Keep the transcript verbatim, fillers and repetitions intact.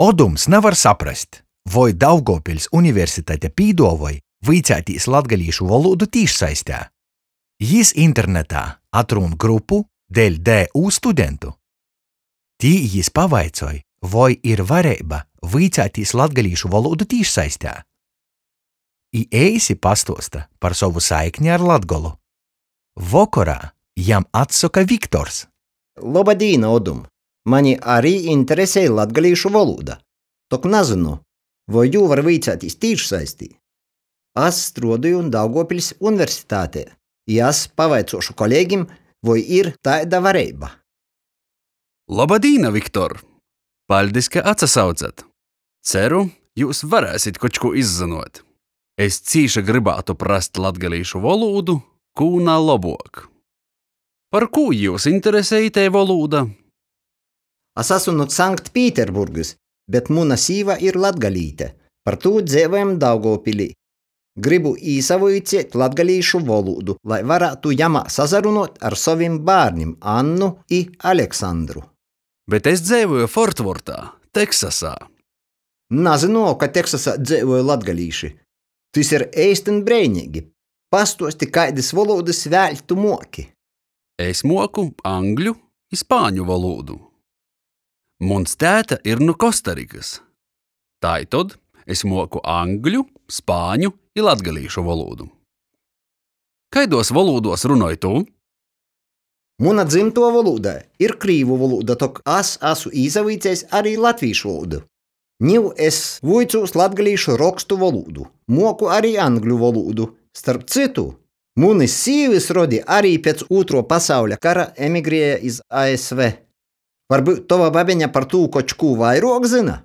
Odums navar saprast, voi Daugovpiļs Universitate pīduovoj vuiceitīs latgalīšu volūdu tīšsaistē. Jis internetā atrūn grupu deļ D U studentu. Tī jis pavaicoj, voi ir vareiba vuiceitīs latgalīšu volūdu tīšsaistē. I eisi pastuosta par sovu saikni ar Latgolu. Vokorā jam atsoka Viktors. Loba dīna, Odum! Mani ari interesej latgalīšu volūda. Tok nazynu, voi jū var vuiceitīs tīšsaistī. Es struodoju Daugovpiļs Universitatē, i es pavaicuošu kolegim, voi ir taida vareiba. Loba dīna, Viktor! Paļdis, ka atsasaucat! Ceru, jūs varēsit koč kū izzynuot. Es cīši grybātu prast latgalīšu volūdu, kū na lobuok. Par kū jūs interesej itei volūda? Es asu nu Sanktpīterburgys, bet muna sīva ir latgalīte, par tū dzeivojam Daugovpilī. Grybu īsavuiceit latgalīšu volūdu, lai varātu jamā sasarunuot ar sovim bārnim Annu i Aleksandru. Bet es dzeivoju Fortvortā, Teksasā. Nazynuoju, ka Teksasā dzeivoj latgalīši. Tys ir eistyn breineigi. Pastuosti, kaidys volūdys vēļ tu muoki. Es muoku angļu i spāņu volūdu. Muns tēta ir nu Kostarikys. Taitod es muoku angļu, spāņu i latgalīšu volūdu. Kaiduos volūduos runoj tu? Muna dzymtuo volūda ir krīvu volūda, tok es asu īsavuicejs ari latvīšu volūdu. Niu es vuicūs latgalīšu rokstu volūdu, muoku ari angļu volūdu. Starp cytu, munys sīvys rodi ari piec Ūtruo pasauļa kara emigrēja iz A S V. Varbyut tova babeņa par tū koč kū vairuok zyna?